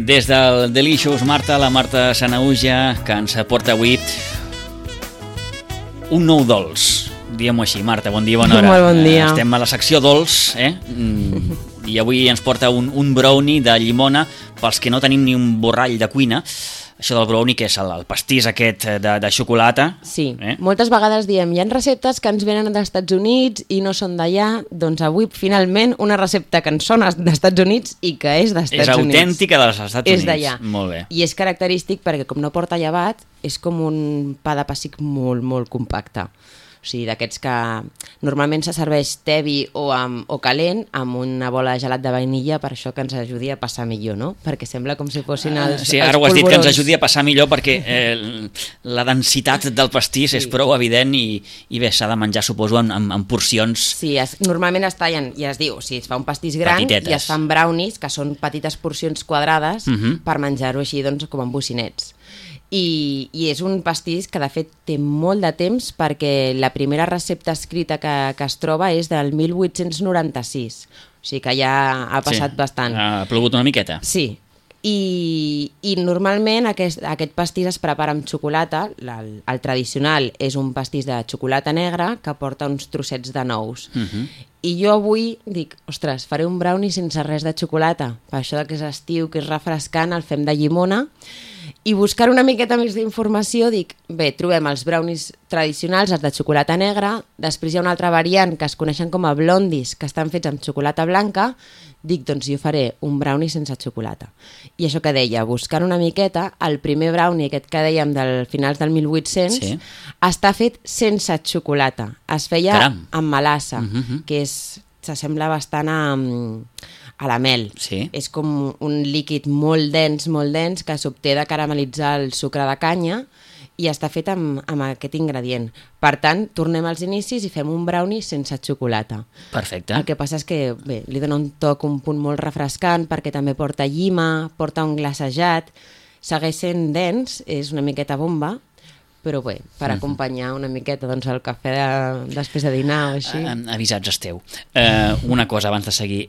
Des del Delicious, la Marta Sanahuja, que ens porta avui un nou dolç. Diguem-ho així. Marta, bon dia, bona hora. Molt bon dia. Estem a la secció dolç, i avui ens porta un brownie de llimona pels que no tenim ni un borrall de cuina. Això del brownie, que és el pastís aquest de xocolata. Sí, moltes vegades diem, hi ha receptes que ens venen dels Estats Units i no són d'allà, doncs avui finalment una recepta que ens són d'Estats Units i que és dels Estats Units. És autèntica dels Estats Units. És d'allà. Molt bé. I és característic perquè com no porta llevat, és com un pa de pessic molt, molt compacte. O sigui, d'aquests que normalment se serveix tebi o calent amb una bola de gelat de vainilla, per això que ens ajudi a passar millor, no? Perquè sembla com si fossin els Sí, ara ho has dit, que ens ajudi a passar millor perquè la densitat del pastís és prou evident i bé, s'ha de menjar, suposo, en porcions. Sí, normalment es tallen, i es diu, si es fa un pastís gran petitetes. I es fan brownies, que són petites porcions quadrades per menjar-ho així, doncs, com en bocinets. I és un pastís que de fet té molt de temps perquè la primera recepta escrita que es troba és del 1896, o sigui que ja ha passat bastant. Ha plogut una miqueta. Sí, i normalment aquest pastís es prepara amb xocolata. El tradicional és un pastís de xocolata negra que porta uns trossets de nous. I jo avui dic, ostres, faré un brownie sense res de xocolata, per això que és estiu, que és refrescant, el fem de llimona. I buscar una miqueta més d'informació, dic, bé, trobem els brownies tradicionals, els de xocolata negra, després hi ha una altra variant que es coneixen com a blondies, que estan fets amb xocolata blanca, dic, doncs jo faré un brownie sense xocolata. I això que deia, buscant una miqueta, el primer brownie aquest que dèiem del finals del 1800, està fet sense xocolata. Es feia amb melassa, que s'assembla bastant a la mel. Sí. És com un líquid molt dens, que s'obté de caramel·litzar el sucre de canya i està fet amb aquest ingredient. Per tant, tornem als inicis i fem un brownie sense xocolata. Perfecte. El que passa és que bé, li dona un toc, un punt molt refrescant, perquè també porta llima, porta un glacejat, segueix sent dens, és una miqueta bomba, però bé, per acompanyar una miqueta doncs, el cafè després de dinar o així. Avisats esteu. Una cosa abans de seguir,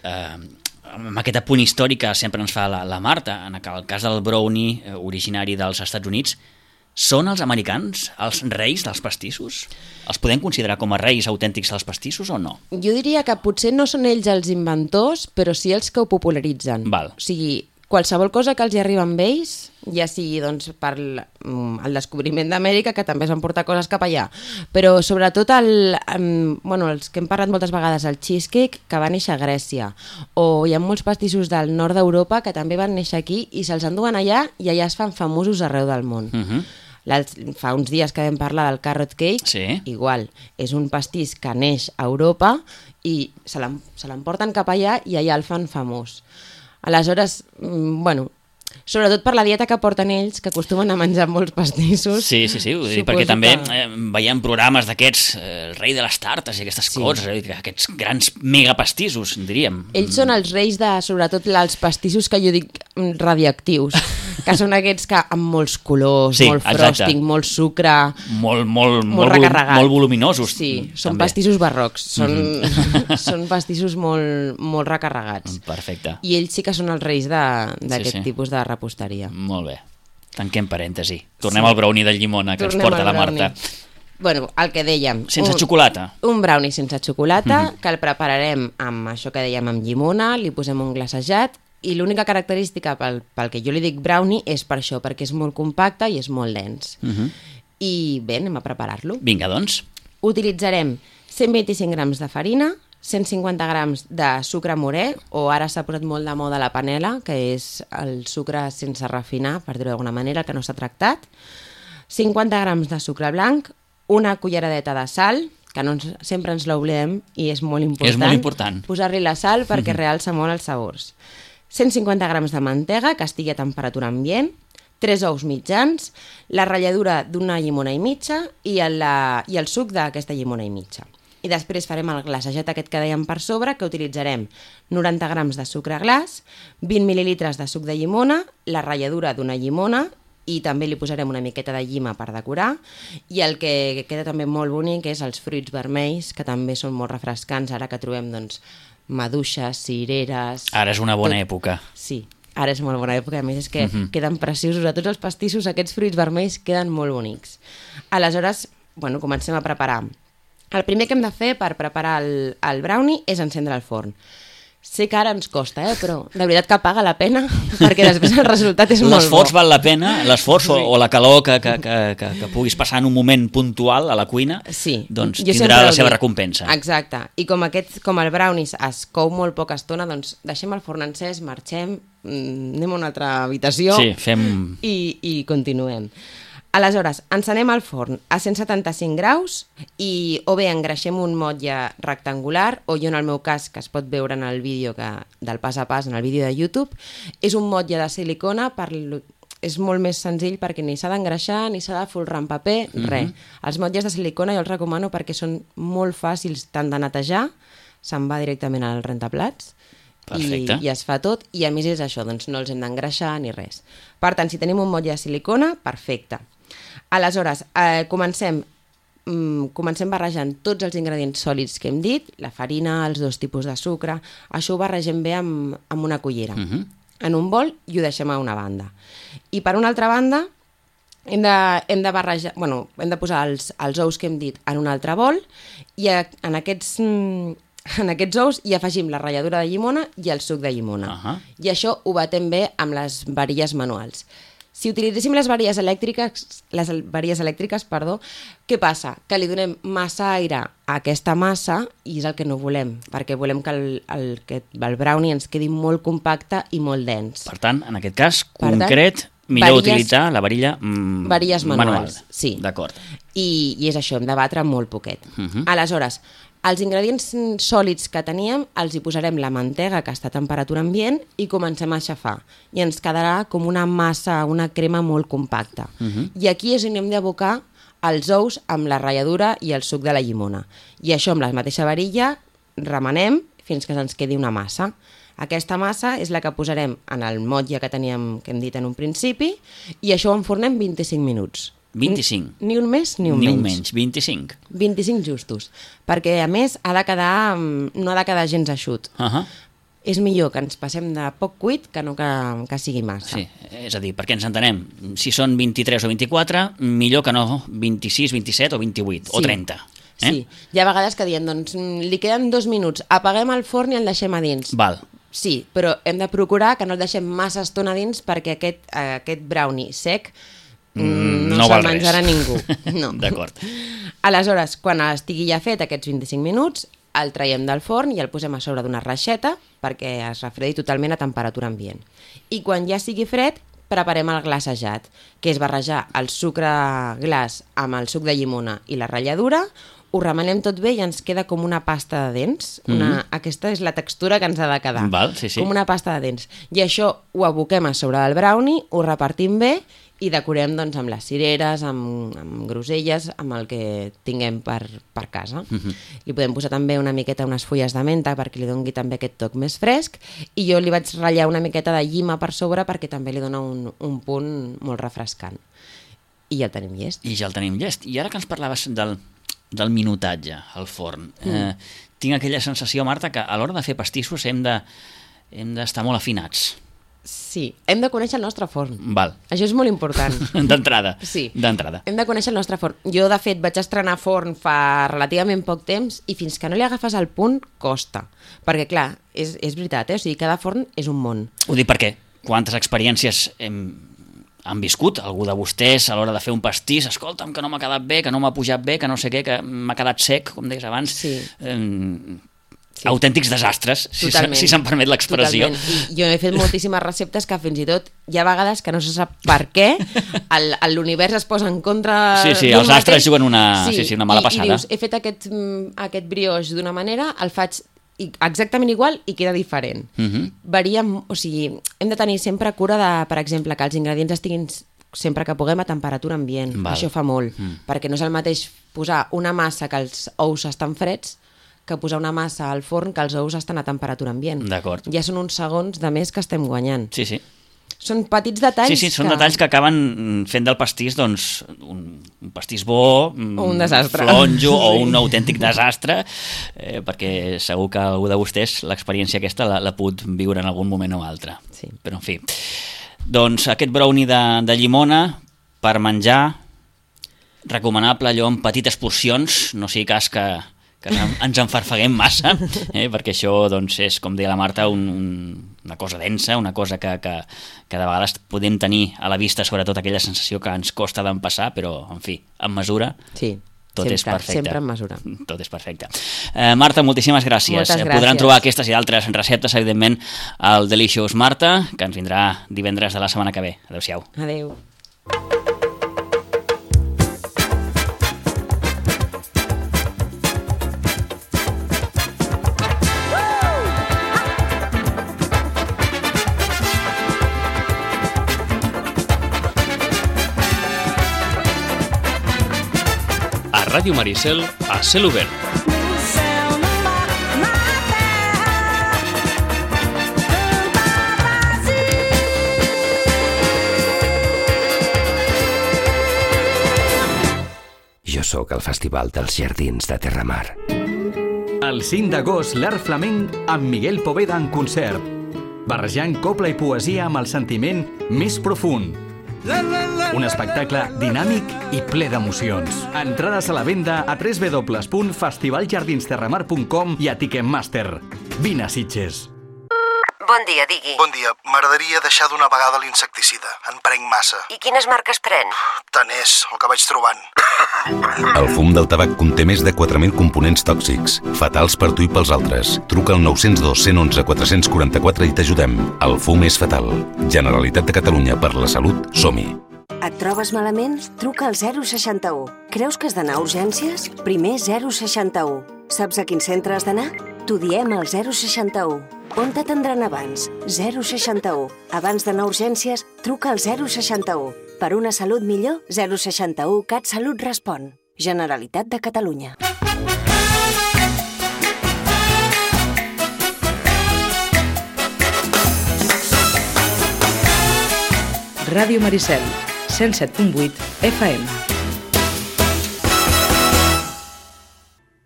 amb aquest apunt històric que sempre ens fa la Marta, en el cas del brownie originari dels Estats Units, són els americans els reis dels pastissos? Els podem considerar com a reis autèntics dels pastissos o no? Jo diria que potser no són ells els inventors, però sí els que ho popularitzen. Val. O sigui, qualsevol cosa que els hi arriba amb ells, ja sigui doncs, per el descobriment d'Amèrica, que també es van portar coses cap allà, però sobretot els que hem parlat moltes vegades, el cheesecake, que va néixer a Grècia, o hi ha molts pastissos del nord d'Europa que també van néixer aquí i se'ls enduen allà i allà es fan famosos arreu del món. Fa uns dies que vam parlar del carrot cake, igual, és un pastís que neix a Europa i se l'emporten cap allà i allà el fan famós. Aleshores, sobretot per la dieta que porten ells, que acostumen a menjar molts pastissos. Sí, ho dic perquè també veiem programes d'aquests, el rei de les tartes i aquestes coses, aquests grans megapastissos, diríem. Ells són els reis de, sobretot, els pastissos que jo dic radioactius, que són aquests que amb molts colors, molt frosting, molt sucre, molt recarregat. Molt voluminosos. Sí, són pastissos barrocs, són pastissos molt recarregats. Perfecte. I ells sí que són els reis d'aquest tipus de reposteria. Molt bé. Tanquem parèntesi. Tornem al brownie de llimona que ens porta la Marta. Bueno, el que dèiem. Sense xocolata. Un brownie sense xocolata, que el prepararem amb això que dèiem, amb llimona, li posem un glacejat, i l'única característica pel que jo li dic brownie és per això, perquè és molt compacte i és molt dens. I bé, anem a preparar-lo. Vinga, doncs. Utilitzarem 125 grams de farina, 150 grams de sucre morè, o ara s'ha posat molt de moda la panela, que és el sucre sense refinar, per dir-ho d'alguna manera, que no s'ha tractat, 50 grams de sucre blanc, una culleradeta de sal, que sempre ens l'oblidem i és molt important. És molt important. Posar-li la sal perquè realça molt els sabors. 150 grams de mantega, que estigui a temperatura ambient, 3 ous mitjans, la ratlladura d'una llimona i mitja i el suc d'aquesta llimona i mitja. I després farem el glacejat aquest que dèiem per sobre, que utilitzarem 90 grams de sucre glaç, 20 mil·lilitres de suc de llimona, la ratlladura d'una llimona i també li posarem una miqueta de llima per decorar, i el que queda també molt bonic és els fruits vermells, que també són molt refrescants, ara que trobem doncs maduixes, cireres... Ara és una bona època. Sí, Ara és molt bona època, a més és que queden preciosos. A tots els pastissos aquests fruits vermells queden molt bonics. Aleshores, bueno, comencem a preparar. El primer que hem de fer per preparar el brownie és encendre el forn. Sé que ara ens costa, però de veritat que paga la pena, perquè després el resultat és molt bo. L'esforç val la pena, l'esforç o la calor que puguis passar en un moment puntual a la cuina, doncs tindrà la seva recompensa. Exacte, i com el brownies es cou molt poca estona, doncs deixem el forn encès, marxem, anem a una altra habitació i continuem. Aleshores, encenem el forn a 175 graus i o bé engreixem un motlle rectangular o jo en el meu cas, que es pot veure en el vídeo del pas a pas, en el vídeo de YouTube, és un motlle de silicona, és molt més senzill perquè ni s'ha d'engreixar ni s'ha de folrar en paper, res. Els motlles de silicona jo els recomano perquè són molt fàcils tant de netejar, se'n va directament al rentaplats, i es fa tot, i a més és això, doncs no els hem d'engreixar ni res. Per tant, si tenim un motlle de silicona, perfecte. Aleshores, comencem barrejant tots els ingredients sòlids que hem dit, la farina, els 2 tipus de sucre, això ho barregem bé amb una cullera, en un bol, i ho deixem a una banda. I per una altra banda, hem de barrejar, hem de posar els ous que hem dit en un altre bol, i en aquests ous hi afegim la ratlladura de llimona i el suc de llimona. I això ho batem bé amb les varilles manuals. Si utilitzéssim les varilles elèctriques, què passa? Que li donem massa aire a aquesta massa i és el que no volem, perquè volem que el brownie ens quedi molt compacte i molt dens. Per tant, en aquest cas, millor utilitzar la varilla varilles manuals. Sí. D'acord. I és això, hem de batre molt poquet. Aleshores, els ingredients sòlids que teníem els hi posarem la mantega que està a temperatura ambient i comencem a aixafar. I ens quedarà com una massa, una crema molt compacta. I aquí és on hem d'abocar els ous amb la ratlladura i el suc de la llimona. I això amb la mateixa varilla remenem fins que se'ns quedi una massa. Aquesta massa és la que posarem en el motlle que hem dit en un principi i això ho enfornem 25 minuts. 25. Ni un més ni un menys. Ni un menys, 25. 25 justos, perquè a més no ha de quedar gens eixut. És millor que ens passem de poc cuit que no que sigui massa. Sí, és a dir, perquè ens entenem, si són 23 o 24, millor que no 26, 27 o 28 o 30. Sí, hi ha vegades que diem, doncs li queden 2 minuts, apaguem el forn i el deixem a dins. Val. Sí, però hem de procurar que no el deixem massa estona a dins perquè aquest brownie sec no se'l menjarà ningú. No. D'acord. Aleshores, quan estigui ja fet aquests 25 minuts, el traiem del forn i el posem a sobre d'una reixeta perquè es refredi totalment a temperatura ambient. I quan ja sigui fred, preparem el glaçejat, que és barrejar el sucre glaç amb el suc de llimona i la ratlladura, ho remenem tot bé i ens queda com una pasta de dents. Aquesta és la textura que ens ha de quedar. Val, sí. Com una pasta de dents. I això ho aboquem a sobre del brownie, ho repartim bé i decorem doncs, amb les cireres, amb groselles, amb el que tinguem per casa. Li podem posar també una miqueta unes fulles de menta perquè li doni també aquest toc més fresc i jo li vaig ratllar una miqueta de llima per sobre perquè també li dona un punt molt refrescant. I ja el tenim llest. I ara que ens parlaves del minutatge al forn, tinc aquella sensació, Marta, que a l'hora de fer pastissos hem d'estar molt afinats. Sí, hem de conèixer el nostre forn. Val. Això és molt important. D'entrada. Sí. D'entrada. Hem de conèixer el nostre forn. Jo, de fet, vaig estrenar forn fa relativament poc temps i fins que no li agafes el punt, costa. Perquè, clar, és veritat, o sigui, cada forn és un món. Ho dic perquè quantes experiències han viscut algú de vostès a l'hora de fer un pastís, escolta'm, que no m'ha quedat bé, que no m'ha pujat bé, que no sé què, que m'ha quedat sec, com deies abans. Sí. Sí. Autèntics desastres, si se'm permet l'expressió. Totalment. I jo he fet moltíssimes receptes que fins i tot hi ha vegades que no se sap per què l'univers es posa en contra sí, els astres juguen una mala passada. I dius, he fet aquest brioix d'una manera, el faig exactament igual i queda diferent. Varia, o sigui, hem de tenir sempre cura de, per exemple, que els ingredients estiguin sempre que puguem a temperatura ambient. Això fa molt, perquè no és el mateix posar una massa que els ous estan freds que posar una massa al forn que els ous estan a temperatura ambient. D'acord. Ja són uns segons de més que estem guanyant. Sí. Són petits detalls. Sí, són detalls que acaben fent del pastís doncs, un pastís bo, o un desastre. Flonjo o un autèntic desastre, perquè segur que algú de vostès l'experiència aquesta l'ha pogut viure en algun moment o altre. Sí. Però en fi, doncs aquest brownie de llimona per menjar, recomanable allò en petites porcions, no sigui cas que ens enfarfeguem massa, perquè això doncs, és, com deia la Marta, una cosa densa, una cosa que de vegades podem tenir a la vista, sobretot aquella sensació que ens costa d'empassar, però, en fi, amb mesura, sí, tot és perfecte. Sempre en mesura. Tot és perfecte. Marta, moltíssimes gràcies. Moltes gràcies. Podran trobar aquestes i altres receptes, evidentment, al Delicious Marta, que ens vindrà divendres de la setmana que ve. Adéu-siau. Adéu. Ràdio Maricel a cel obert. Jo sóc al Festival dels Jardins de Terramar. El 5 d'agost, l'Art Flamenc amb Miguel Poveda en concert, barrejant copla i poesia amb el sentiment més profund. Un espectacle dinàmic i ple d'emocions. Entrades a la venda a www.festivaljardinsterramar.com i a Ticketmaster. Vine a Sitges. Bon dia, digui. Bon dia. M'agradaria deixar d'una vegada l'insecticida. En prenc massa. I quines marques pren? Tant és, el que vaig trobant. El fum del tabac conté més de 4.000 components tòxics, fatals per tu i pels altres. Truca al 902 111 444 i t'ajudem. El fum és fatal. Generalitat de Catalunya, per la salut, som-hi. Et trobes malament? Truca al 061. Creus que has d'anar a urgències? Primer 061. Saps a quin centre has d'anar? T'ho diem al 061. On t'atendran abans? 061. Abans d'anar a urgències, truca al 061. Per una salut millor, 061 CatSalut respon. Generalitat de Catalunya. Ràdio Maricel, 107.8 FM.